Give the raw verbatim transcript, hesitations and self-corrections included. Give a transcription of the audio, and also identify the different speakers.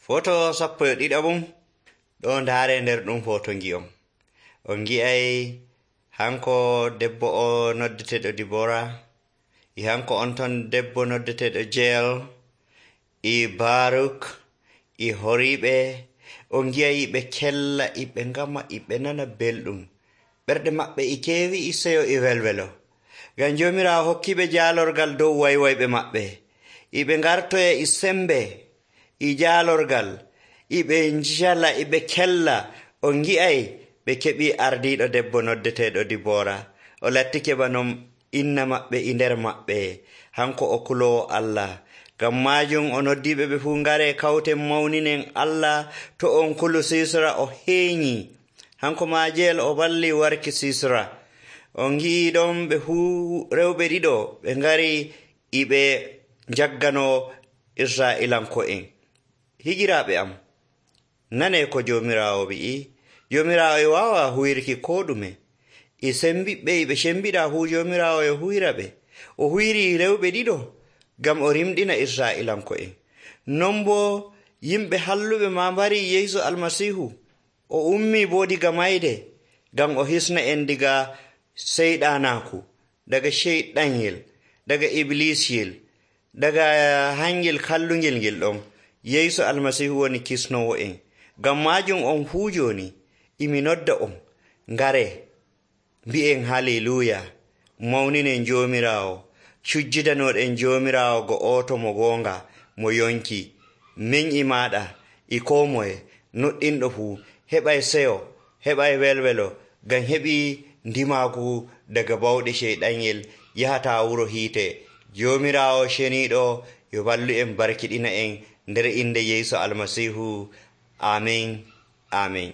Speaker 1: Foto sappo e ɗiɗaɓum ɗo ndaare nder ɗum foto ngi'on. On ngi'ay hanko debbo o noddeteeɗo Dibora, e hanko on ton debbo noddeteeɗo Jeyel, e Baruk, e horiiɓe. On ngi'ay ɓe kella, e ɓe ngama, e ɓe nana belɗum. Ɓerɗe maɓɓe e keewi, e seyo, e welwelo. Ngam Joomiraawo hokkiiɓe jaalorgal dow waywayɓe maɓɓe. E ɓe ngartoya e sembe, e jaalorgal, e ɓe njala, e ɓe kella. On ngi'ay ɓe keɓii ardiiɗo debbo noddeteeɗo Dibora. O lattike banom inna maɓɓe e nder maɓɓe. Hanko o kuloowo Allah. Ngam maajum o noddiiɓe ɓe fuu ngaree kawten mawninen Allah. To on kulu Siisra o heeñii. Hanko maa Jeyel o ballii warki Siisra. On ngi'ii ɗon ɓe fuu rewɓe ɗiɗo ɓe ngari e ɓe njagganoo Israa'ilanko'en. Higiraaɓe am, nanee ko Joomiraawo wi'i. Joomiraawo e waawa huwirki koo ɗume. E sembiɓɓe e ɓe cembiɗaa fuu Joomiraawo e huyra ɓe. O huyrii rewɓe ɗiɗo ngam o rimɗina Israa'ilanko'en. Non boo yimɓe halluɓe maa mbarii Yeesu Almasiihu. O ummii boo diga mayde ngam o hisna en diga seyɗaanaaku, daga ceyɗanyel, daga Ibliisiyel, daga hangel kallungel ngel ɗon. Yeesu Almasiihu woni kisnoowo en. Ngam maajum on fuu jooni imi nodda on ngaree mbi'en haleluuya, mawninen Joomiraawo, cujjidanooɗen Joomiraawo go'oto mo goonga mo yonki. Min e maaɗa e koo moye nuɗɗinɗo fuu heɓay seyo, heɓay welwelo, ngam heɓii ndimaaku daga bawɗe ceyɗanyel yahataa wuro hiite. Joomiraawo ceniiɗo yo ballu en barkiɗina en nder innde Yeesu Almasiihu. Aamin, aamin.